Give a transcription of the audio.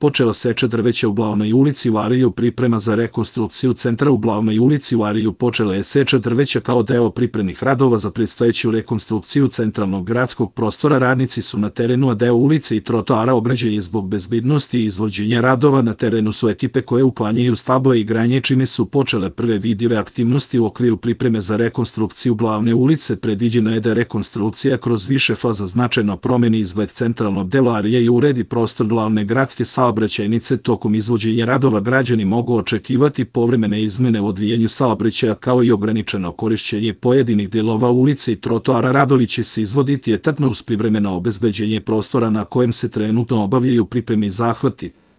počela seča drveća u Glavnoj ulici u Ariju. Priprema za rekonstrukciju centra u Glavnoj ulici u Ariju. Počela je seča drveća kao deo pripremnih radova za predstojeću rekonstrukciju centralnog gradskog prostora. Radnici su na terenu, a deo ulice i trotoara ograđen je zbog bezbednosti i izvođenja radova. Na terenu su ekipe koje uklanjaju stable i granje, čime su počele prve vidljive aktivnosti u okviru pripreme za rekonstrukciju Glavne ulice. Predviđeno je da rekonstrukcija kroz više faza značajno promeni izgled centralnog dela Arije i uredi prostor glavne gradske saobraćajnice. Tokom izvođenja radova građani mogu očekivati povremene izmene u odvijanju saobraćaja kao i ograničeno korišćenje pojedinih delova ulice i trotoara. Radovi će se izvoditi etapno uz privremeno obezbeđenje prostora na kojem se trenutno obavljaju pripremni zahvati.